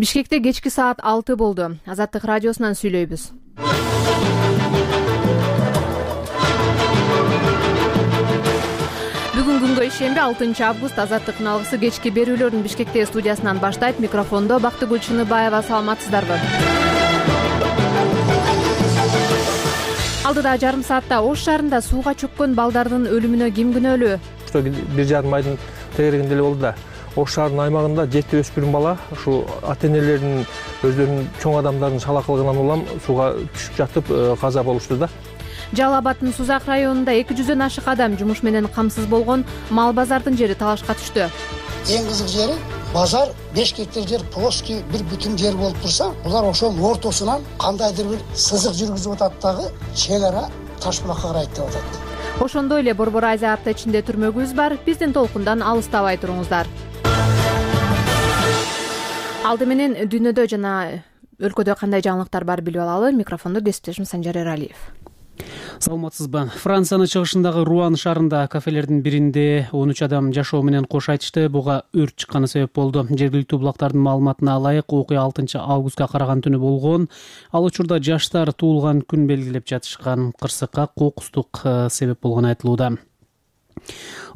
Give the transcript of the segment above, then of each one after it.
Бишкекте кечки саат 6 болду. Азаттык радиосунан сүйлөйбүз. Бүгүн күнгө ишемби 6 август. Азаттыктын алгысы кечки берүүлөрүн Бишкекте студиясынан баштайт. Микрофондо Бактыгүл Чыныбаева. Саламатсыздарбы? Алдыда жарым саатта Ош шаарында сууга чөккөн балдардын өлүмүнө ким күнөөлүү? 1,5 айдын тегерегинде эле болду да. Ош шаарынын аймагында 7 өспүрүм бала ушу ата-энелеринин өздөрүнүн чоң адамдардын шалакылыгынан улам сууга түшүп жатып каза болушту да. Жалал Абадтын Сузак районунда 200дөн ашык адам жумуш менен камсыз болгон мал базардын жери талашка түштү. Эң кызык жери базар 5 гектар жер плоский бир бүтүн жер болуп турса, булар ошонун ортосунан кандайдыр бир сызык жүргүзүп атат дагы чен ара таш булакка карайт деп атат. Ошондой эле Борбор Азия апта ичинде түрмөгүбүз бар. Биздин толкундан алыстабай туруңуздар. Алды менен дүйнөдө жана өлкөдө кандай жаңылыктар бар билип алалы. Микрофондо кесиптешим Санжар Эралиев. Саламатсызбы? Франциянын чыгышындагы Руан шаарында кафелердин биринде 13 адам жашоо менен кош айтышты. Буга өрт чыкканы себеп болду. Жергиликтүү булактардын маалыматына ылайык, окуя 6 августка караган түнү болгон. Ал учурда жаштар туулган күн белгилеп жатышкан. Кырсыкка кокустук себеп болгону айтылууда.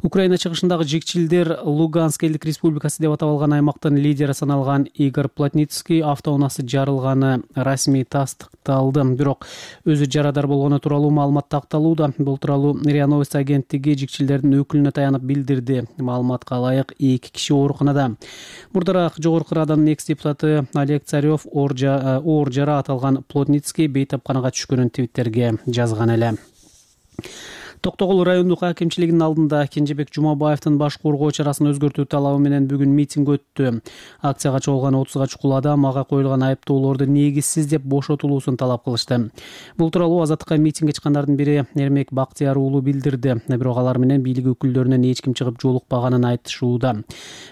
Украина чыгышындагы жекчилдер Луганск элдик республикасы деп аталган аймактын лидери саналган Игорь Плотницкий автоунаасы жарылганы расмий тастыкталды. Бирок өзү жарадар болгону тууралуу маалымат такталууда. Бул тууралуу РИА Новости агенттиги жекчилдердин өкүлүнө таянып билдирди. Маалыматка ылайык 2 киши ооруканада. Мурдараак жогорку Раданын экс-депутаты Олег Царев оор жара аталган Плотницкий бейтапканага түшкөнүн Твиттерге жазган эле. Токтогул райондук акимчилигинин алдында Кенжебек Жумабаевдин баш коргоо чарасын өзгөртүү талабы менен бүгүн митинг өттү. Акцияга чогулган 30га чукул адам ага коюлган айыптоолорду негизсиз деп бошотулуусун талап кылышты. Бул тууралуу Азаттыкка митингге чыккандардын бири Эрмек Бактияр уулу билдирди. Бирок алар менен бийлик өкүлдөрүнөн эч ким чыгып жолукпаганын айтышууда.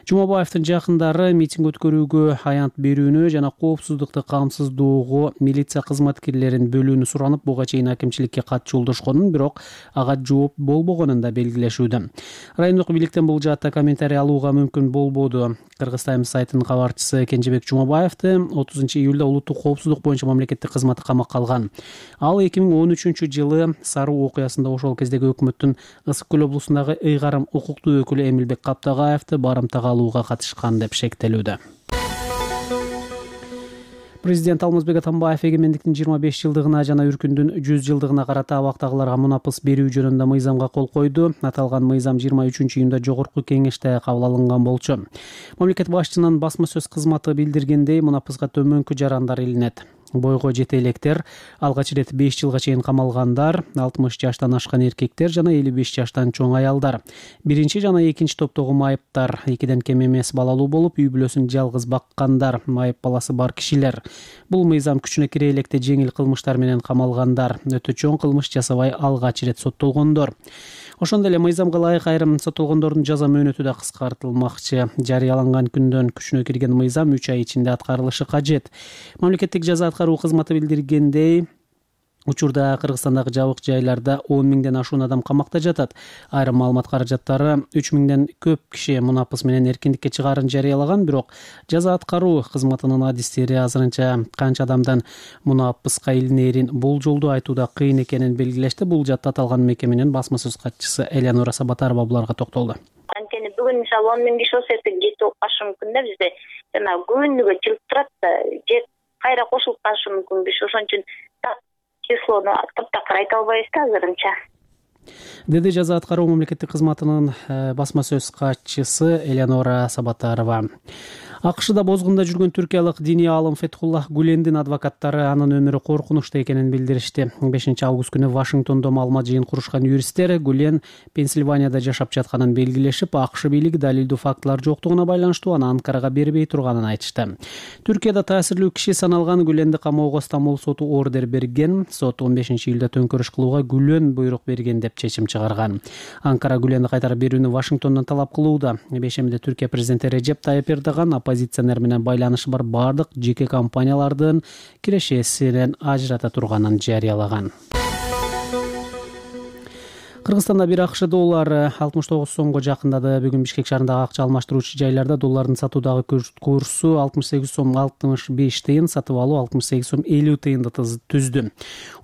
Жумабаевдин жакындары митинг өткөрүүгө аянт берүүнү жана коопсуздукту камсыздоого милиция кызматкерлерин бөлүүнү суранып, буга чейин акимчиликке кат жолдошконун, бирок ага жооп болбогонун да белгилешүүдө. Райондук бийликтен бул жаатта комментарий алууга мүмкүн болбоду. Кыргыз Таймс сайтынын кабарчысы Кенжебек Жумабаевди 30 июлда улуттук коопсуздук боюнча мамлекеттик кызматы камакка алган. Ал 2013-жылы Саруу окуясында ошол кездеги өкмөттүн Ысык Көл облусундагы ыйгарым укуктуу өкүлү Эмилбек Каптагаевди барымтага алууга катышкан деп шектелүүдө. Президент Алмазбек Атамбаев эгемендиктин 25 жылдыгына жана Үркүндүн 100 жылдыгына карата абактагыларга мунапыс берүү жөнүндө мыйзамга кол койду. Аталган мыйзам 23-июнда жогорку кеңеште кабыл алынган болчу. Мамлекет башчынын басма сөз кызматы билдиргендей, мунапыска төмөнкү жарандар илинет. Бойго жете электер, алгач ирет 5 жылга чейин камалгандар, 60 жаштан ашкан эркектер жана 55 жаштан чоң аялдар. Биринчи жана экинчи топтогу майыптар, 2ден кем эмес балалуу болуп, үй бүлөсүн жалгыз баккандар, майып баласы бар кишилер. Бул мыйзам күчүнө кире электе жеңил кылмыштар менен камалгандар, өтө чоң кылмыш жасабай алгач ирет соттолгондор. Ошондой эле мыйзамга ылайык айрым соттолгондордун жаза мөөнөтү да кыскартылмакчы. Жарыяланган күндөн күчүнө кирген мыйзам 3 ай ичинде аткарылышы кажет. Мамлекеттик жаза аткаруу кызматы билдиргендей, учурда Кыргызстандагы жабык жайларда 10 миңден ашуун адам камакта жатат. Айрым маалымат каражаттары 3 миңден көп киши мунапыс менен эркиндикке чыгаарын жарыялаган, бирок жаза аткаруу кызматынын адистери азырынча канча адамдан мунапыска илинээрин болжолдуу айтууда кыйын экенин белгилешти. Бул жатта аталган мекеменин басма сөз катчысы Элеонора Сабатарова буларга токтолду. Анткени бүгүн мисалы 10 миң киши болсо эртең жети болуп калышы мүмкүн да, бизде жана күнүгө чыгып турат да, же кайра кошулуп калышы мүмкүн. Биш ошон үчүн числону таптакыр айта албайбыз да азырынча. Деди жаза аткаруу мамлекеттик кызматынын басма сөз катчысы Элеонора Сабатарова. АКШда бозгунда жүргөн түркиялык диний аалым Фетхуллах Гулендин адвокаттары анын өмүрү коркунучта экенин билдиришти. 5 август күнү Вашингтондо маалымат жыйын курушкан юристтер Гулен Пенсильванияда жашап жатканын белгилешип, АКШ бийлиги далилдүү фактылар жоктугуна байланыштуу аны Анкарага бербей турганын айтышты. Түркияда таасирлүү киши саналган Гуленди камоого Стамбул соту ордер берген. Сот 15 июлда төңкөрүш кылууга Гулен буйрук берген деп чечим чыгарган. Анкара Гуленди кайтарып берүүнү Вашингтондон талап кылууда. Бейшембиде Түркия президенти Режеп Тайып Эрдоган оппозиционер менен байланышы бар бардык жеке компаниялардын кирешесинен ажырата турганын жарыялаган. Кыргызстанда бир АКШ доллары 69 сомго жакындады. Бүгүн Бишкек шаарындагы акча алмаштыруучу жайларда доллардын сатуудагы курсу 68 сом 65 тыйын, сатып алуу 68 сом 50 тыйынды түздү.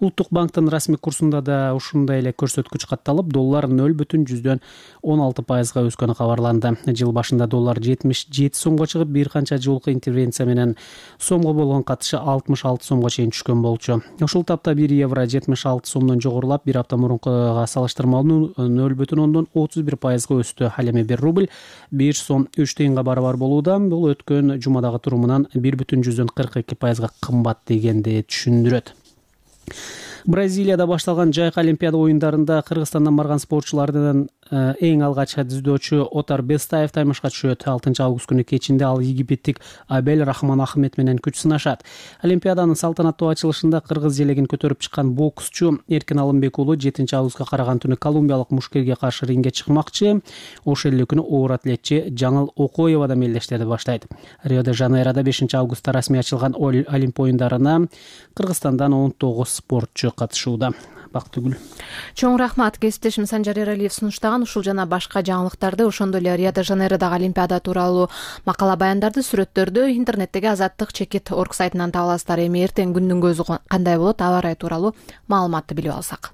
Улуттук банктын расмий курсунда да ушундай эле көрсөткүч катталып, доллар 0,16% өскөнү кабарланды. Жыл башында доллар 77 сомго чыгып, бир канча жолку интервенция менен сомго болгон катышы 66 сомго чейин түшкөн болчу. Ушул тапта 1 евро 76 сомдон жогорулап, бир апта мурункуга салыштырмалуу 0,31% өстү. Ал эми 1 рубль 1 сом 3 тыйынга барабар болууда. Бул өткөн жумадагы турумунан 1,42% кымбат дегенди түшүндүрөт. Бразилияда башталган жайкы олимпиада оюндарында Кыргызстандан барган спортчулардын эң алгач дзюдочу Отар Бестаев таймашка түшөт. 6 август күнү кечинде ал египеттик Абель Рахман Ахмед менен күч сынашат. Олимпиаданын салтанаттуу ачылышында кыргыз желегин көтөрүп чыккан боксчу Эркин Алымбек уулу 7 августка караган түнү колумбиялык мушкерге каршы рингге чыкмакчы. Ошол эле күнү оор атлетчи Жаңыл Окоева да мелдештерди баштайт. Рио-де-Жанейрода 5 августта расмий ачылган Олимп оюндарына Кыргызстандан 19 спортчу катышууда. Бактыгүл. Чоң рахмат. Кесиптешим Санжар Эралиев сунуштаган ушул жана башка жаңылыктарды, ошондой эле Рио-де-Жанейродогу Олимпиада тууралуу макала баяндарды, сүрөттөрдү интернеттеги azattik.org сайтынан таба аласыздар. Эми эртең күндүн көзү кандай болот, аба ырайы тууралуу маалыматты билип алсак.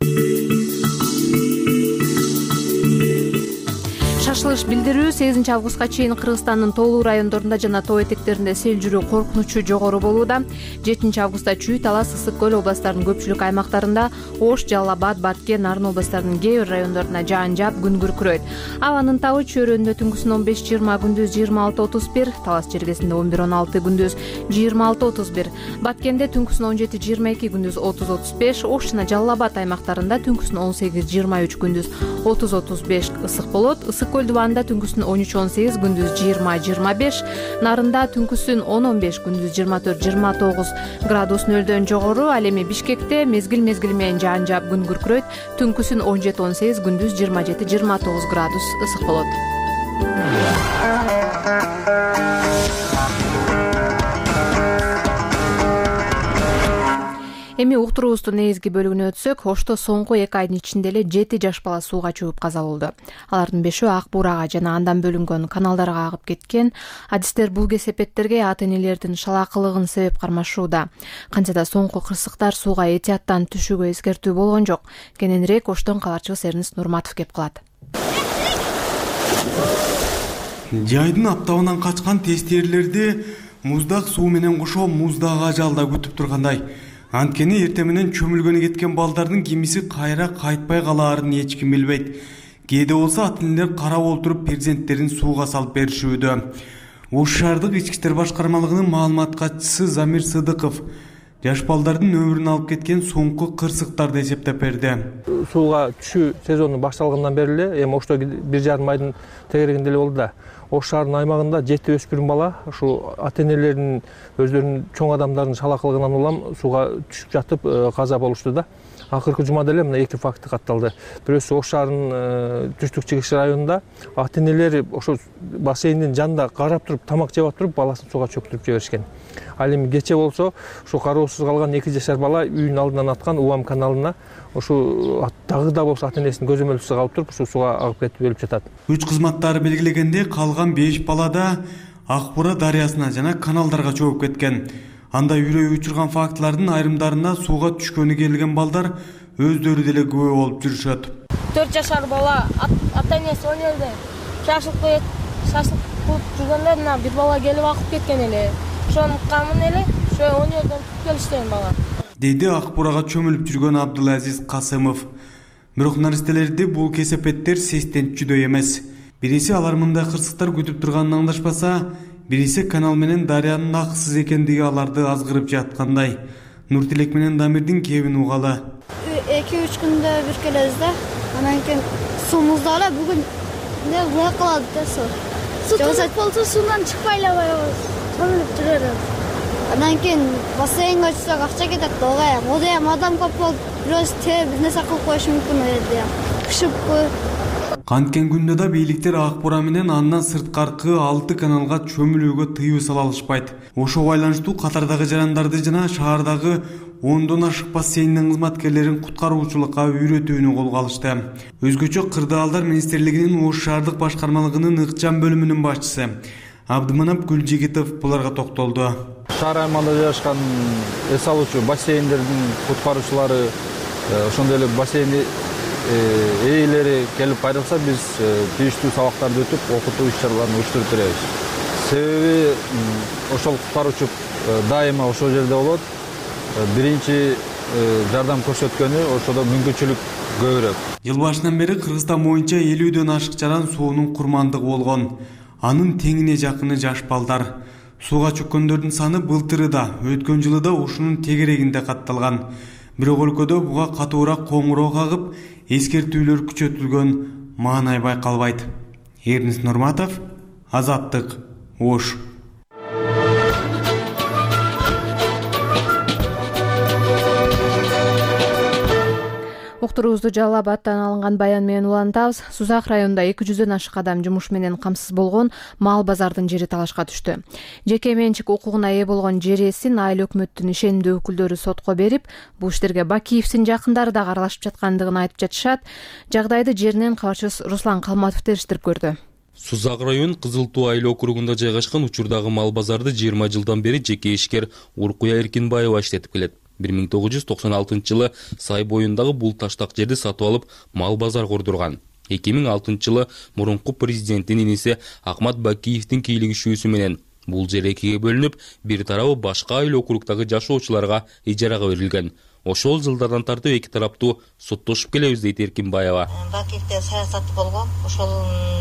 Шашылыш билдирүү 8 августка чейин Кыргызстандын тоолуу райондорунда жана тоо этектеринде сел жүрүү коркунучу жогору болууда. 7 августта Чүй, Талас, Ысык көл областарынын көпчүлүк аймактарында, Ош, Жалал Абад, Баткен, Нарын областарынын кээ бир райондорунда жаан жаап, күн күркүрөйт. Абанын табы Чөйрөндө түнкүсүн 15-20, күндүз 26-31, Талас чергесинде 11-16, күндүз 26-31, Баткенде түнкүсүн 17-22, күндүз 30-35, Ош жана Жалал Абад аймактарында түнкүсүн 18-23, күндүз 30-35 ысык болот. Ысык көл дубанында түнкүсүн 13-18, күндүз 20-25, Нарында түнкүсүн 10-15, күндүз 24-29 градус нөлдөн жогору. Ал эми Бишкекте мезгил менен жаан жаап, күн күркүрөйт. Түнкүсүн 17-18, күндүз 27-29 градус ысык болот. Эми уктуруубуздун негизги бөлүгүнө өтсөк, Ошто соңку 2 айдын ичинде эле 7 жаш бала сууга чөгүп каза болду. Алардын 5-өө Ак Буурага жана андан бөлүнгөн каналдарга агып кеткен. Адистер бул кесепеттерге ата-энелердин шалаакылыгын себеп кармашууда. Кантсе да соңку кырсыктар сууга этияттан түшүүгө эскертүү болгон жок. Кененирээк Оштон кабарчыбыз Эрнест Нурматов кеп калат. Жайдын аптабынан качкан тестирлерди муздак суу менен кошо муздак ажалда күтүп тургандай. Анткени эртең менен чөмүлгөнү кеткен балдардын кимиси кайра кайтпай калаарын эч ким билбейт. Кээде болсо ата-энелер карап олтуруп перзенттерин сууга салып беришүүдө. Ош шаардык ички иштер башкармалыгынын маалымат катчысы Замир Сыдыков жаш балдардын өмүрүн алып кеткен соңку кырсыктарды эсептеп берди. Сууга түшүү сезону башталгандан бери эле эми Ошто 1,5 айдын тегерегинде эле болду да. Ош шаарынын аймагында 7 өспүрүм бала ушу ата-энелеринин өздөрүнүн чоң адамдардын шалаакылыгынан улам сууга түшүп жатып каза болушту да. Акыркы жумада эле мына 2 факты катталды. Бирөөсү Ош шаарынын түштүк чыгыш районунда ата-энелери ошо бассейндин жанында карап туруп, тамак жеп туруп, баласын сууга чөктүрүп жиберишкен. Ал эми кече болсо ушу кароосуз калган 2 жашар бала үйүнүн алдынан аткан Уам каналына ушу дагы да болсо ата-энесинин көзөмөлчүсү калып туруп, ушу сууга агып кетип өлүп жатат. Күч кызматтары белгилегенде калган 5 бала да Ак Буура дарыясына жана каналдарга чөгүп кеткен. Анда үрөй учурган фактылардын айрымдарына сууга түшкөнү келген балдар өздөрү деле күбө болуп жүрүшөт. 4 жашар бала ата-энеси өнөрдө шашлык кылып жүргөндө мына бир бала келип агып кеткен эле. Ошонун камын эле ошо өнөрдөн туруп келишкен бала. Деди Ак Буурага чөмүлүп жүргөн Абдулазиз Касымов. Бирок наристелерди бул кесепеттер сестентчүдөй эмес. Бириси алар мындай кырсыктар күтүп турганын аңдашпаса, бириси канал менен дарыянын акысыз экендиги аларды азгырып жаткандай. Нуртилек менен Дамирдин кебин угалы. 2-3 күндө бир келебиз да. Анан кийин суумузда эле бүгүн эмне була калат да суу. Суу тозот болсо суудан чыкпай эле коебуз. Чөмүлүп жүрөбүз. Андан кийин бассейнге түшсөк акча кетет да, ого адам көп болуп, бирөөс тээ бир нерсе кылып коюшу мүмкүн эле. Пышыппы. Канткен күндө да бийликтер Ак Буура менен андан сырткаркы 6 каналга чөмүлүүгө тыюу сала алышпайт. Ошо байланыштуу катардагы жарандарды жана шаардагы 10дон ашык бассейндин кызматкерлерин куткаруучулукка үйрөтүүнү колго алышты. Өзгөчө Кырдаалдар министрлигинин Ош шаардык башкармалыгынын ыкчам бөлүмүнүн башчысы Абдыманап Гүлжигитов буларга токтолду. Шаар аймагында жайгашкан эс алуучу бассейндердин куткаруучулары, ошондой эле бассейн ээлери келип кайрылса, биз тийиштүү сабактарды өтүп, окутуу иш-чараларын уюштуруп беребиз. Себеби ошол куткаруучу дайыма ошол жерде болот. Биринчи жардам көрсөткөнү ошодо мүмкүнчүлүк көбүрөөк. Жыл башынан бери Кыргызстан боюнча 50дөн ашык жаран суунун курмандыгы болгон. Анын теңине жакыны жаш балдар. Сууга чөккөндөрдүн саны былтыры да, өткөн жылы да ушунун тегерегинде катталган. Бирок өлкөдө буга катуураак коңгуроо кагып, эскертүүлөр күчөтүлгөн маанай байкалбайт. Эрнис Нурматов, Азаттык, Ош. Уктуруубузду Жалал Абадтан алынган баян менен улантабыз. Сузак районунда 200дөн ашык адам жумуш менен камсыз болгон мал базардын жери талашка түштү. Жеке менчик укугуна ээ болгон жер ээсин айыл өкмөттүн ишенимдүү өкүлдөрү сотко берип, бул иштерге Бакиевдин жакындары да аралашып жаткандыгын айтып жатышат. Жагдайды жеринен кабарчыбыз Руслан Калматов териштирип көрдү. Сузак район Кызыл Туу айыл округунда жайгашкан учурдагы мал базарды 20 жылдан бери жеке ишкер Уркуя Эркинбаева иштетип келет. 1996 жылы Сай боюндагы бул таштак жерди сатып алып, мал базар курдурган. 2006 жылы мурунку президенттин иниси Акмат Бакиевдин кийлигишүүсү менен бул жер экиге бөлүнүп, бир тарабы башка айыл округдагы жашоочуларга ижарага берилген. Ошол жылдардан тартып эки тараптуу соттошуп келебиз дейт Эркинбаева. Бакиевде саясат болгон, ошол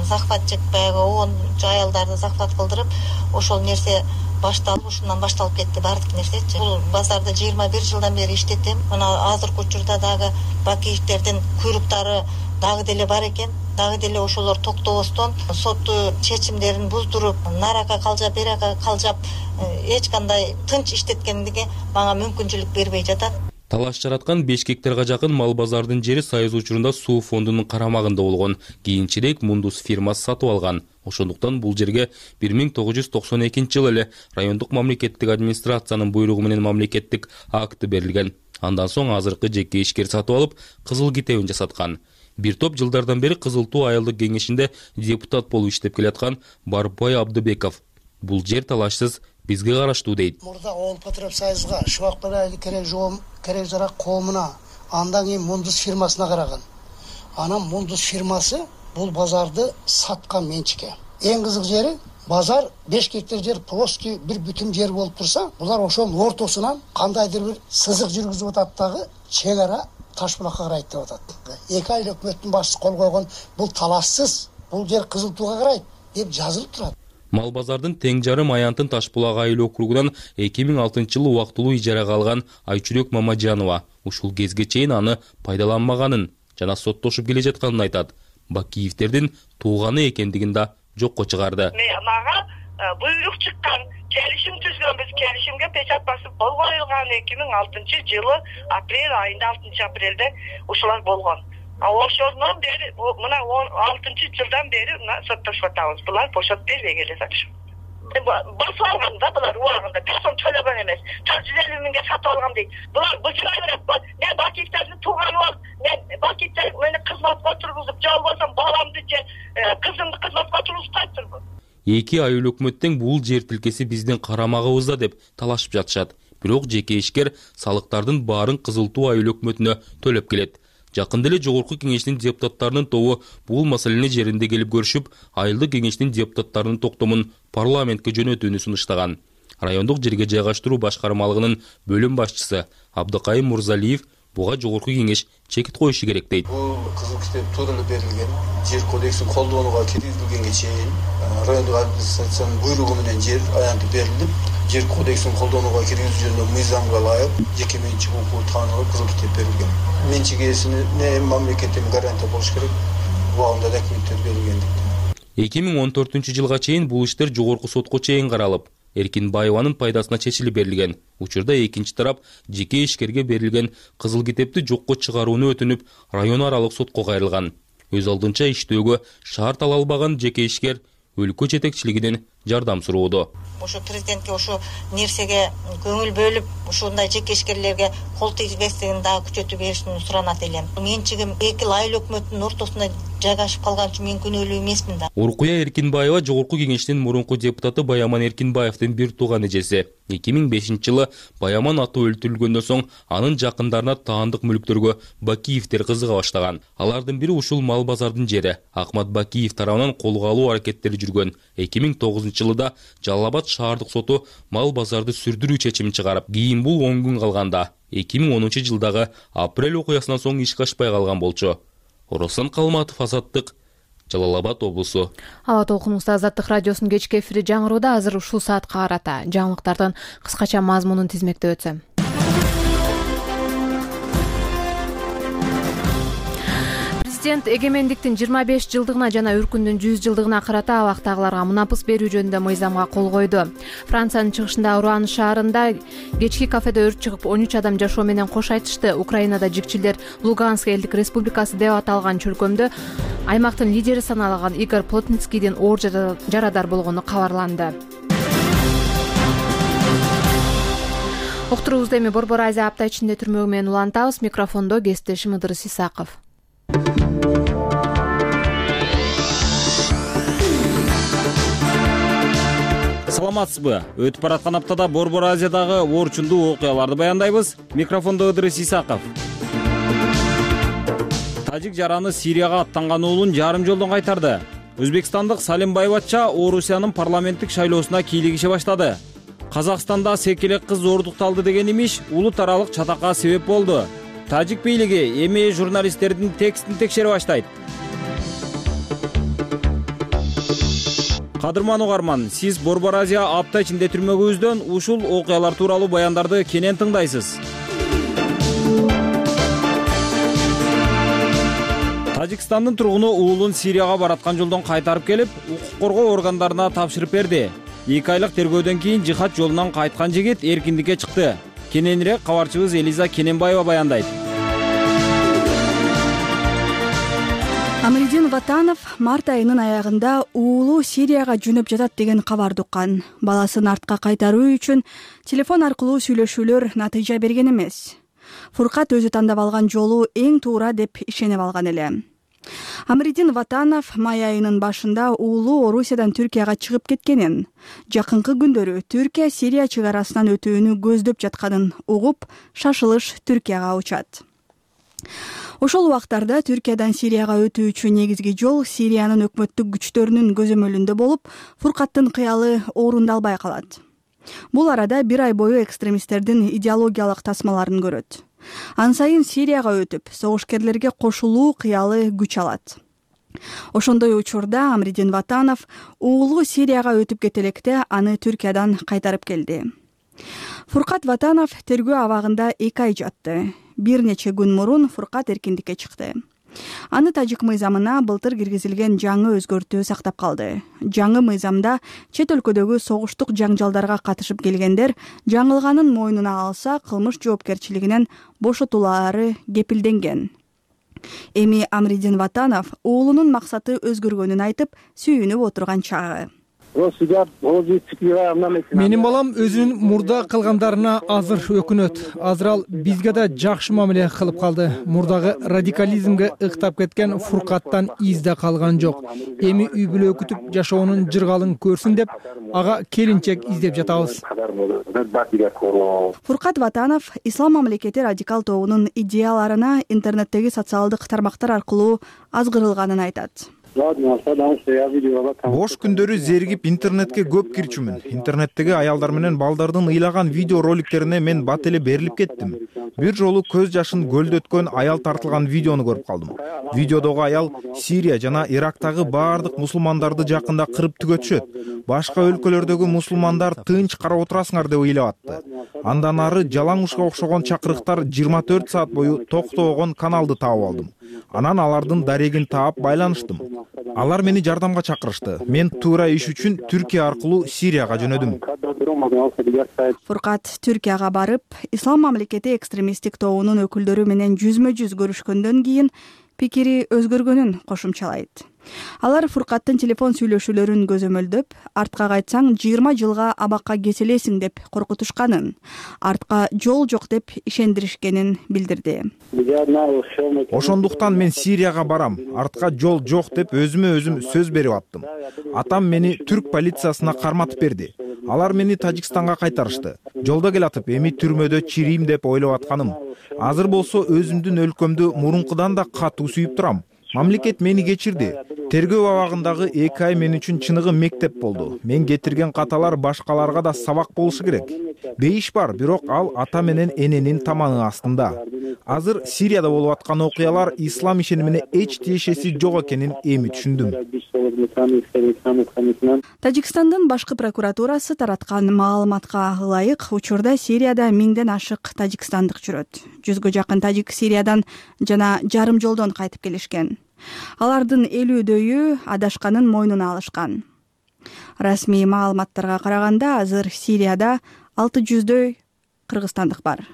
захватчык баягы он аялдарды захват кылдырып, ошол нерсе башталып, ушундан башталып кетти баардык нерсечи. Бул базарда 21 жылдан бери иштетем. Мына азыркы учурда дагы Бакиевдердин куйруктары дагы деле бар экен. Дагы деле ошолор токтобостон соттуу чечимдерин буздуруп, нарака калжап, берака калжап, эч кандай тынч иштеткендиги мага мүмкүнчүлүк бербей жатат. Талаш жараткан 5 гектарга жакын мал базардын жери Союз учурунда суу фондунун карамагында болгон. Кийинчерээк Мундус фирмасы сатып алган. Ошондуктан бул жерге 1992 жылы эле райондук мамлекеттик администрациянын буйругу менен мамлекеттик акты берилген. Андан соң азыркы жеке ишкер сатып алып, кызыл китебин жасаткан. Бир топ жылдардан бери Кызыл Туу айылдык кеңешинде депутат болуп иштеп келаткан Барбай Абдыбеков бул жер талашсыз бизге караштуу дейт. Мурда Оол Патров Союзга, Шубакбай айыл керек жарак коомуна, андан кийин Мундус фирмасына караган. Анан Мундус фирмасы бул базарды саткан менчикке. Эң кызык жери, базар 5 гектар жер плоский бир бүтүн жер болуп турса, булар ошонун ортосунан кандайдыр бир сызык жүргүзүп атат дагы чек ара Ташбулакка карайт деп атат. Эки айыл өкмөттүн башчысы кол койгон, бул талашсыз, бул жер Кызыл Тууга карайт деп жазылып турат. Мал базардын тең жарым аянтын Ташбулак айыл округунан 2006 жылы убактылуу ижарага алган Айчүрөк Мамажанова ушул кезге чейин аны пайдаланмаганын жана соттошуп келе жатканын айтат. Бакиевдердин тууганы экендигин да жокко чыгарды. Мага буйрук чыккан, келишим түзгөнбүз, келишимге печат басып кол коюлган 2006 жылы апрель айында 6 апрелде ушулар болгон. Ошондон бери мына 16 жылдан бери соттошуп атабыз. Булар бошот бербей келе жатышат. Басып алган да булар убагында, бир сом төлөгөн эмес. 450 миңге сатып алган дейт. Булар быжыра берет. Мен Бакиевдердин тууганы болуп, мен Бакиевдер мени кызматка тургузуп, жол болсом баламды же кызымды кызматка тургузуп кайттырбы. Эки айыл өкмөттүн бул жер тилкеси биздин карамагыбызда деп талашып жатышат. Бирок жеке ишкер салыктардын баарын Кызыл Туу айыл өкмөтүнө төлөп келет. Жакында эле жогорку кеңештин депутаттарынын тобу бул маселени жеринде келип көрүшүп, айылдык кеңештин депутаттарынын токтомун парламентке жөнөтүүнү сунуштаган. Райондук жерге жайгаштыруу башкармалыгынын бөлүм башчысы Абдыкайым Мурзалиев буга жогорку кеңеш чекит коюшу керек дейт. Бул кызыл китеп туура эле берилген, жер кодексин колдонууга киргизилгенге чейин райондук администрациянын буйругу менен жер аянты берилип, жер кодексин колдонууга киргизүү жөнүндө мыйзамга ылайык жеке менчик укугу таанылып кызыл китеп берилген. Менчик ээсине мамлекеттин гарантия болуш керек, убагында документтер берилгендиктен. 2014 жылга чейин бул иштер жогорку сотко чейин каралып, Эркинбаеванын пайдасына чечилип берилген. Учурда экинчи тарап жеке ишкерге берилген кызыл китепти жокко чыгарууну өтүнүп, район аралык сотко кайрылган. Өз алдынча иштөөгө шарт ала албаган жеке ишкер өлкө жетекчилигинин жардам суроодо. Ошо президентке ошо нерсеге көңүл бөлүп, ушундай жекешкерлерге кол тийбестигин дагы күчөтүп беришин суранат элем. Менчигим эки айыл өкмөттүн ортосунда жайгашып калган үчүн мен күнөөлүү эмесмин да. Уркуя Эркинбаева Жогорку Кеңештин мурунку депутаты Баяман Эркинбаевдин бир тууган эжеси. 2005-жылы Баяман аты өлтүрүлгөндөн соң анын жакындарына таандык мүлктөргө Бакиевдер кызыга баштаган. Алардын бири ушул мал базардын жери. Акмат Бакиев тарабынан колго алуу аракеттери жүргөн. 2009-жылы Жалал Абад шаардык соту мал базарды сүрдүрүү чечимин чыгарып, кийин бул 10 күн калганда 2010-жылдагы апрель окуясынан соң ишке ашпай калган болчу. Орослан Калматов, Азаттык, Жалал Абад облусу. Ала толкунубузда Азаттык радиосунун кечки эфири жаңыроодо. Азыр ушул саатка карата жаңылыктардын кыскача мазмунун тизмектеп өтсөм. Президент эгемендиктин 25 жылдыгына жана өркүндүн 100 жылдыгына карата абактагыларга мунапыс берүү жөнүндө мыйзамга кол койду. Франциянын чыгышында Руан шаарында кечки кафеде өрт чыгып 13 адам жашоо менен кош айтышты. Украинада жикчилдер Луганск элдик республикасы деп аталган чөлкөмдө аймактын лидери саналган Игорь Плотницкийдин оор жарадар болгону кабарланды. Уктуруубузду эми Борбор Азия апта ичинде түрмөгү менен улантабыз. Микрофондо кесиптешим Ыдырыс Исаков. Саламатсызбы? Өтүп бараткан аптада Борбор Азиядагы оорчундуу окуяларды баяндайбыз. Микрофондо Ыдырыс Исаков. Тажик жараны Сирияга аттанган уулун жарым жолдон кайтарды. Өзбекстандык Салим Байбатча Орусиянын парламенттик шайлоосуна кийлигише баштады. Казакстанда секелек кыз зордукталды деген имиш улут аралык чатакка себеп болду. Тажик бийлиги эми журналисттердин текстин текшере баштайт. Кадырман угарман, сиз Борбор Азия апта ичинде түрмөгүбүздөн ушул окуялар тууралуу баяндарды кенен тыңдайсыз. Тажикстандын тургуну уулун Сирияга бараткан жолдон кайтарып келип, укук коргоо органдарына тапшырып берди. 2 айлык тергөөдөн кийин жихад жолунан кайткан жигит эркиндикке чыкты. Кененирээк кабарчыбыз Элиза Кененбаева баяндайт. Амридин Ватанов март айынын аягында уулу Сирияга жөнөп жатат деген кабарды уккан. Баласын артка кайтаруу үчүн телефон аркылуу сүйлөшүүлөр натыйжа берген эмес. Фуркат өзү тандап алган жолу эң туура деп ишенип алган эле. Амридин Ватанов май айынын башында уулу Орусиядан Түркияга чыгып кеткенин, жакынкы күндөрү Түркия Сирия чыгарасынан өтүүнү көздөп жатканын угуп, шашылыш Түркияга учат. Ошол убактарда Түркиядан Сирияга өтүүчү негизги жол Сириянын өкмөттүк күчтөрүнүн көзөмөлүндө болуп, Фуркаттын кыялы орундалбай калат. Бул арада 1 ай бою экстремисттердин идеологиялык тасмаларын көрөт. Ан сайын Сирияга өтүп, согушкерлерге кошулуу кыялы күч алат. Ошондой учурда Амридин Ватанов уулу Сирияга өтүп кете электе аны Түркиядан кайтарып келди. Фуркат Ватанов тергөө абагында 2 ай жатты. Бир нече күн мурун Фуркат эркиндикке чыкты. Аны тажик мыйзамына былтыр киргизилген жаңы өзгөртүү сактап калды. Жаңы мыйзамда чет өлкөдөгү согуштук жаңжалдарга катышып келгендер жаңылганын мойнуна алса кылмыш жоопкерчилигинен бошотулаары кепилденген. Эми Амридин Ватанов уулунун максаты өзгөргөнүн айтып, сүйүнүп отурган чагы. Менин балам өзүнүн мурда кылгандарына азыр өкүнөт. Азыр ал бизге да жакшы мамиле кылып калды. Мурдагы радикализмге ыктап кеткен Фуркаттан изде калган жок. Эми үй бүлө күтүп жашоонун жыргалын көрсүн деп, ага келинчек издеп жатабыз. Фуркат Ватанов Ислам мамлекети радикал тобунун идеяларына интернеттеги социалдык тармактар аркылуу азгырылганын айтат. Бош күндөрү зеригип интернетке көп кирчүмүн. Интернеттеги аялдар менен балдардын ыйлаган видео роликтерине мен бат эле берилип кеттим. Бир жолу көз жашын көлдөткөн аял тартылган видеону көрүп калдым. Видеодогу аял Сирия жана Ирактагы баардык мусулмандарды жакында кырып түгөтүшөт. Башка өлкөлөрдөгү мусулмандар тынч карап отурасыңар деп ыйлап атты. Андан ары жалаңушка окшогон чакырыктар 24 саат бою токтобогон каналды таап алдым. Анан алардын дарегин таап байланыштым. Алар мени жардамга чакырышты. Мен туура иш үчүн Түркия аркылуу Сирияга жөнөдүм. Фуркат Түркияга барып, Ислам мамлекети экстремисттик тобунун өкүлдөрү менен жүзмө жүз көрүшкөндөн кийин пикири өзгөргөнүн кошумчалайт. Алар Фуркаттын телефон сүйлөшүүлөрүн көзөмөлдөп, артка кайтсаң 20 жылга абакка кеселесиң деп коркутушканын, артка жол жок деп ишендиришкенин билдирди. Ошондуктан мен Сирияга барам, артка жол жок деп өзүмө өзүм сөз берип аттым. Атам мени түрк полициясына карматып берди. Алар мени Тажикстанга кайтарышты. Жолдо келатып, эми түрмөдө чирийм деп ойлоп атканым. Азыр болсо өзүмдүн өлкөмдү мурункудан да катуу сүйүп турам. Мамлекет мени кечирди. Тергөө абагындагы 2 ай мен үчүн чыныгы мектеп болду. Мен кетирген каталар башкаларга да сабак болушу керек. Бейиш бар, бирок ал ата менен эненин таманы астында. Азыр Сирияда болуп аткан окуялар ислам ишенимине эч тиешеси жок экенин эми түшүндүм. Тажикстандын башкы прокуратурасы тараткан маалыматка ылайык, учурда Сирияда 1000ден ашык тажикстандык жүрөт. 100гө жакын тажик Сириядан жана жарым жолдон кайтып келишкен. Алардын 50дөйү адашканын мойнуна алышкан. Расмий маалыматтарга караганда, азыр Сирияда 600дөй кыргызстандык бар.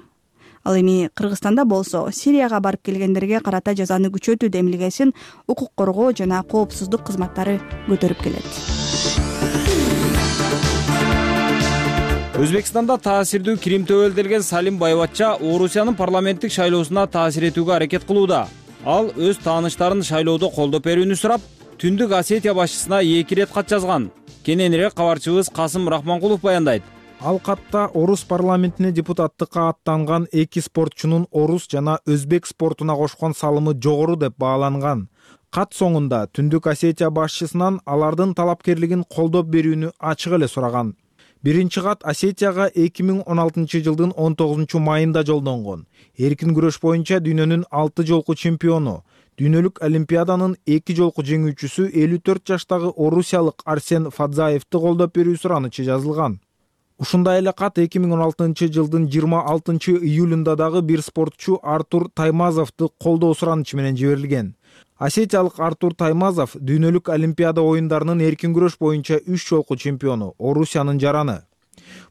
Ал эми Кыргызстанда болсо Сирияга барып келгендерге карата жазаны күчөтүү демилгесин укук коргоо жана коопсуздук кызматтары көтөрүп келет. Өзбекстанда таасирдүү кирим төбөлдөлгөн Салим Байбатча Орусиянын парламенттик шайлоосуна таасир этүүгө аракет кылууда. Ал өз тааныштарын шайлоодо колдоп берүүнү сурап, Түндүк Осетия башчысына 2 рет кат жазган. Кененирээк кабарчыбыз Касым Рахманкулов баяндайт. Ал катта орус парламентине депутаттыкка аттанган 2 спортчунун орус жана өзбек спортуна кошкон салымы жогору деп бааланган. Кат соңунда Түндүк Осетия башчысынан алардын талапкерлигин колдоп берүүнү ачык эле сураган. Биринчи кат Осетияга 2016 жылдын 19 майында жолдонгон. Эркин күрөш боюнча дүйнөнүн 6 жолку чемпиону, дүйнөлүк олимпиаданын 2 жолку жеңүүчүсү 54 жаштагы орусиялык Арсен Фадзаевди колдоп берүү суранычы жазылган. Ушундай эле кат 2016 жылдын 26 июлунда дагы бир спортчу Артур Таймазовду колдоо суранычы менен жиберилген. Осетиялык Артур Таймазов дүйнөлүк олимпиада оюндарынын эркин күрөш боюнча 3 жолку чемпиону, Орусиянын жараны.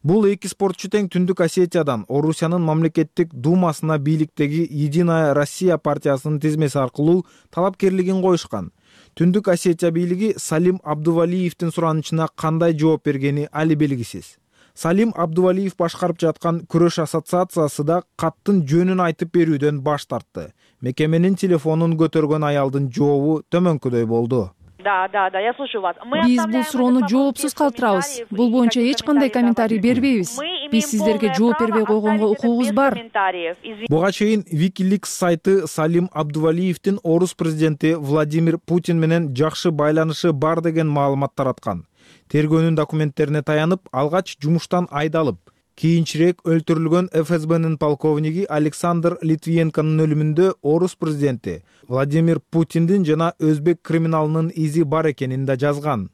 Бул 2 спортчу тең Түндүк Осетиядан Орусиянын мамлекеттик думасына бийликтеги Единая Россия партиясынын тизмеси аркылуу талапкерлигин коюшкан. Түндүк Осетия бийлиги Салим Абдувалиевдин суранычына кандай жооп бергени али белгисиз. Салим Абдувалиев башкарып жаткан күрөш ассоциациясы да каттын жөнүн айтып берүүдөн баш тартты. Мекеменин телефонун көтөргөн аялдын жообу төмөнкүдөй болду. Да, я слушаю вас. Биз бул суроону жоопсуз калтырабыз. Бул боюнча эч кандай комментарий бербейбиз. Биз сиздерге жооп бербей койгонго укугубуз бар. Буга чейин WikiLeaks сайты Салим Абдувалиевдин орус президенти Владимир Путин менен жакшы байланышы бар деген маалымат тараткан. Тергөөнүн документтерине таянып, алгач жумуштан айдалып, кийинчерээк өлтүрүлгөн ФСБнын полковниги Александр Литвиенконун өлүмүндө орус президенти Владимир Путиндин жана өзбек криминалынын изи бар экенин да жазган.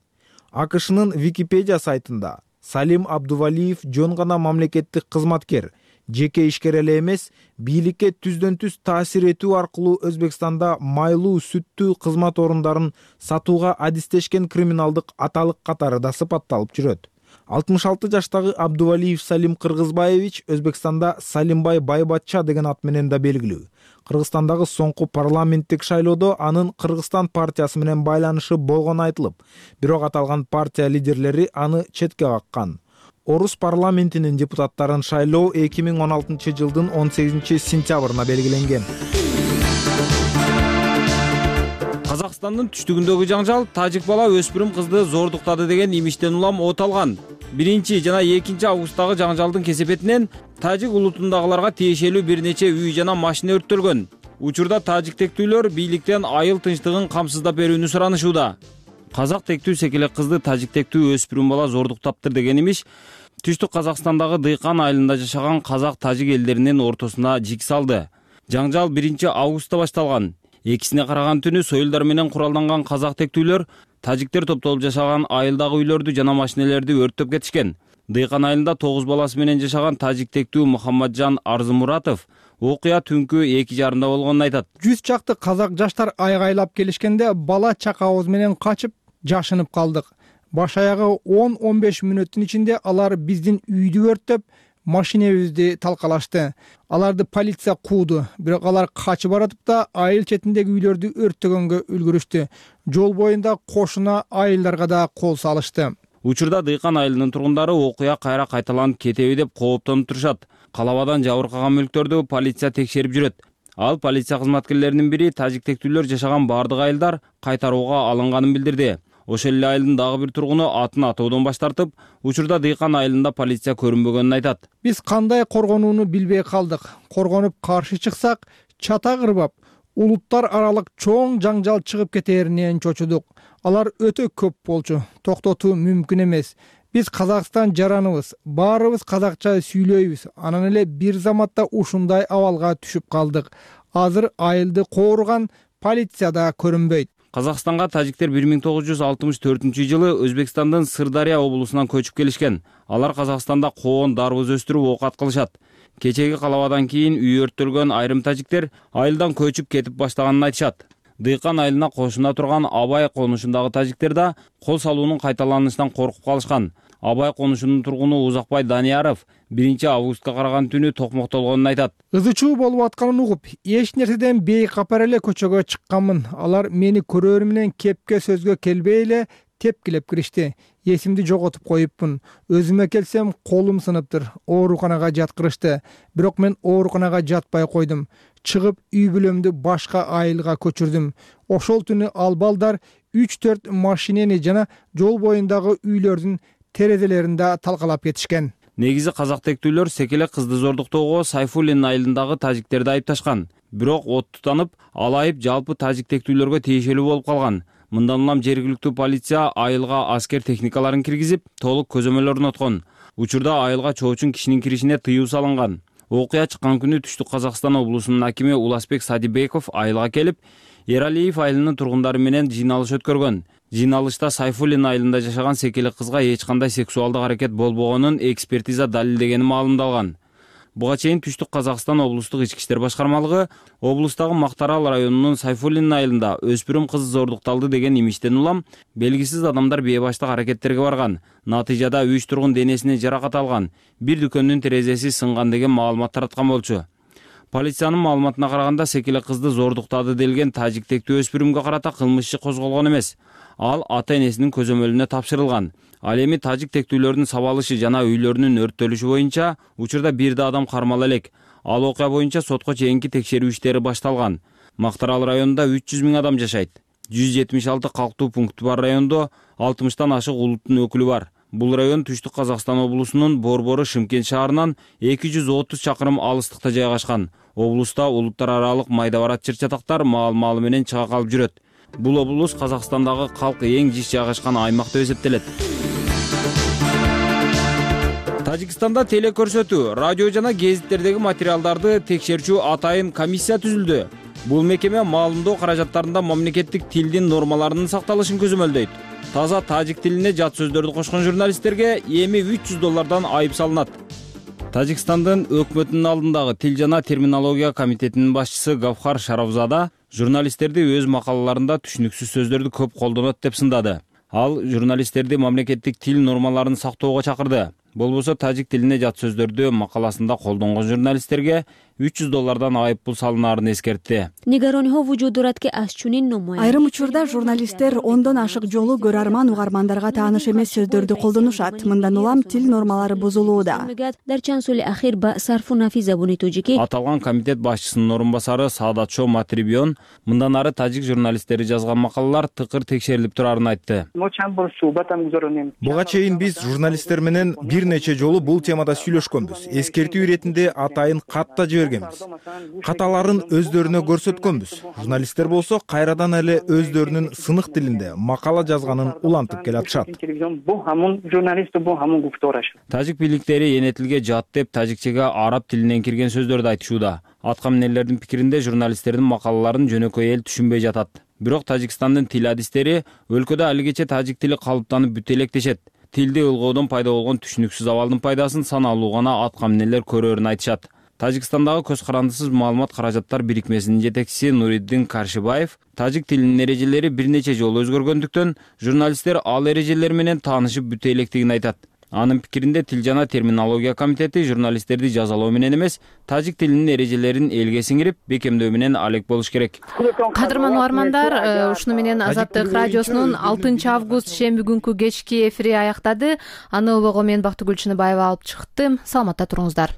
АКШнын Википедия сайтында Салим Абдувалиев жөн гана мамлекеттик кызматкер, жеке ишкер эле эмес, бийликке түздөн-түз таасир этүү аркылуу Өзбекстанда майлуу, сүттүү кызмат орундарын сатууга адистешкен криминалдык аталык катары да сыпатталып жүрөт. 66 жаштагы Абдувалиев Салим Кыргызбаевич Өзбекстанда Салимбай Байбатча деген ат менен да белгилүү. Кыргызстандагы соңку парламенттик шайлоодо анын Кыргызстан партиясы менен байланышы болгону айтылып, бирок аталган партия лидерлери аны четке каккан. Орус парламентинин депутаттарын шайлоо 2016 жылдын 18 сентябрына белгиленген. Казакстандын түштүгүндөгү жаңжал тажик бала өспүрүм кызды зордуктады деген имиштен улам от алган. 1 жана 2 августтагы жаңжалдын кесепетинен тажик улутундагыларга тиешелүү бир нече үй жана машина өрттөлгөн. Учурда тажик тектүүлөр бийликтен айыл тынчтыгын камсыздап берүүнү суранышууда. Казак тектүү секелек кызды тажик тектүү өспүрүм бала зордуктаптыр деген имиш Түштүк Казакстандагы Дыйкан айылында жашаган казак тажик элдеринин ортосуна жик салды. Жаңжал 1 августта башталган. Экисине караган түнү союлдар менен куралданган казак тектүүлөр тажиктер топтолуп жашаган айылдагы үйлөрдү жана машинелерди өрттөп кетишкен. Дыйкан айылында 9 баласы менен жашаган тажик тектүү Мухаммаджан Арзымуратов окуя түнкү 2:30 болгонун айтат. 100 чакты казак жаштар айгайлап келишкенде бала чакабыз менен качып жашынып калдык. Баш аягы 10-15 мүнөттүн ичинде алар биздин үйдү өрттөп, машинебизди талкалашты. Аларды полиция кууду, бирок алар качып баратып да айыл четиндеги үйлөрдү өрттөгөнгө үлгүрүштү. Жол боюнда кошуна айылдарга да кол салышты. Учурда Дыйкан айылынын тургундары окуя кайра кайталанып кетеби деп кооптонуп турушат. Калабадан жабыркаган мүлктөрдү полиция текшерип жүрөт. Ал полиция кызматкерлеринин бири тажиктектүүлөр жашаган бардык айылдар кайтарууга алынганын билдирди. Ошол эле айылдын дагы бир тургуну атын атоодон баш тартып, учурда Дыйкан айылында полиция көрүнбөгөнүн айтат. Биз кандай коргонууну билбей калдык. Коргонуп каршы чыксак, чата кырбап, улуттар аралык чоң жаңжал чыгып кетээринен чочудук. Алар өтө көп болчу. Токтотуу мүмкүн эмес. Биз Казакстан жараныбыз, баарыбыз казакча сүйлөйбүз. Анан эле бир заматта ушундай абалга түшүп калдык. Азыр айылды кооруган полиция да көрүнбөйт. Казакстанга тажиктер 1964-жылы Өзбекстандын Сырдария облусунан көчүп келишкен. Алар Казакстанда коон, дарбыз өстүрүп оокат кылышат. Кечеги калабадан кийин үй өрттөлгөн айрым тажиктер айылдан көчүп кетип баштаганын айтышат. Дыйкан айылына кошуна турган Абай конушундагы тажиктер да кол салуунун кайталанышынан коркуп калышкан. Абай конушунун тургуну Узакбай Данияров 1-августка караган түнү токмоктолгонун айтат. Ызычуу болуп атканын угуп, эч нерседен бейкапар эле көчөгө чыкканмын. Алар мени көрөр менен кепке сөзгө келбей эле тепкилеп киришти. Эсимди жоготуп коюпмун. Өзүмө келсем колум сыныптыр. Ооруканага жаткырышты. Бирок мен ооруканага жатпай койдум. Чыгып үй бүлөмдү башка айылга көчүрдүм. Ошол түнү ал балдар 3-4 машинени жана жол боюндагы үйлөрдүн терезелеринде талкалап кетишкен. Негизи казактектүүлөр секелек кызды зордуктоого Сайфуллин айылындагы тажиктерди айыпташкан. Бирок от тутанып, ал айып жалпы тажиктектүүлөргө тиешелүү болуп калган. Мындан улам жергиликтүү полиция айылга аскер техникаларын киргизип, толук көзөмөл орноткон. Учурда айылга чоочун кишинин киришине тыюу салынган. Окуя чыккан күнү Түштүк Казакстан облусунун акими Уласбек Садибеков айылга келип, Эралиев айылынын тургундары менен жыйналыш өткөргөн. Жыйналышта Сайфуллин айылында жашаган секелек кызга эч кандай сексуалдык аракет болбогонун экспертиза далилдегени маалымдалган. Буга чейин Түштүк Казакстан облустук ички иштер башкармалыгы облустагы Мактарал районунун Сайфуллин айылында өспүрүм кыз зордукталды деген имиштен улам белгисиз адамдар бейбаштык аракеттерге барган. Натыйжада 3 тургун денесине жаракат алган, бир дүкөндүн терезеси сынган деген маалымат тараткан болчу. Полициянын маалыматына караганда секелек кызды зордуктады делген тажиктектүү өспүрүмгө карата кылмыш иши козголгон эмес. Ал ата-энесинин көзөмөлүнө тапшырылган. Ал эми тажиктектүүлөрдүн сабалышы жана үйлөрүнүн өрттөлүшү боюнча учурда бир да адам кармала элек. Ал окуя боюнча сотко чейинки текшерүү иштери башталган. Мактарал районунда 300 000 адам жашайт. 176 калктуу пункту бар райондо 60тан ашык улуттун өкүлү бар. Бул район Түштүк Казакстан облусунун Борбору Шымкент шаарынан 230 чакырым алыстыкта жайгашкан. Облуста улуттар аралык майда барат чыр-чатактар маал-маалы менен чыга калып жүрөт. Бул облус Казакстандагы калкы эң жиш жайгашкан аймак деп эсептелет. Тажикстанда телекөрсөтүү, радио жана гезиттердеги материалдарды текшерчү атайын комиссия түзүлдү. Бул мекеме маалымдоо каражаттарында мамлекеттик тилдин нормаларынын сакталышын көзөмөлдөйт. Таза тажик тилине жат сөздөрдү кошкон журналисттерге эми $300 айып салынат. Тажикстандын өкмөтүнүн алдындагы тил жана терминология комитетинин башчысы Гавхар Шаравзада журналисттерди өз макалаларында түшүнүксүз сөздөрдү көп колдонот деп сындады. Ал журналисттерди мамлекеттик тил нормаларын сактоого чакырды. Болбосо тажик тилине жат сөздөрдү макаласында колдонгон журналисттерге $300 айып пул салынаарын эскертти. Айрым учурда журналисттер ондон ашык жолу көрөрман угармандарга тааныш эмес сөздөрдү колдонушат. Мындан улам тил нормалары бузулууда. Аталган комитет башчысынын орун басары Саадатшо Матрибион мындан ары тажик журналисттери жазган макалалар тыкыр текшерилип турарын айтты. Буга чейин биз журналисттер менен бир нече жолу бул темада сүйлөшкөнбүз. Эскертүү иретинде атайын кат да жибергенбиз. Каталарын өздөрүнө көрсөткөнбүз. Журналисттер болсо кайрадан эле өздөрүнүн сынык тилинде макала жазганын улантып келатышат. Тажик бийликтери эне тилге жат деп тажикчеге араб тилинен кирген сөздөрдү айтышууда. Аткаминерлердин пикиринде журналисттердин макалаларын жөнөкөй эл түшүнбөй жатат. Бирок Тажикстандын тил адистери өлкөдө алигече тажик тили калыптанып бүтө элек дешет. Тилди ылгоодон пайда болгон түшүнүксүз абалдын пайдасын саналуу гана аткаминерлер көрөрүн айтышат. Тажикстандагы көз карандысыз маалымат каражаттар бирикмесинин жетекчиси Нуриддин Каршибаев тажик тилинин эрежелери бир нече жолу өзгөргөндүктөн журналисттер ал эрежелер менен таанышып бүтө электигин айтат. Анын пикиринде Тил жана терминология комитети журналисттерди жазалоо менен эмес, тажик тилинин эрежелерин элге сиңирип, бекемдөө менен алек болуш керек. Кадырман угармандар, ушуну менен Азаттык радиосунун 6 август шемби күнкү кечки эфири аяктады. Аны улоого мен Бактыгүл Чыныбаева алып чыктым. Саламатта туруңуздар.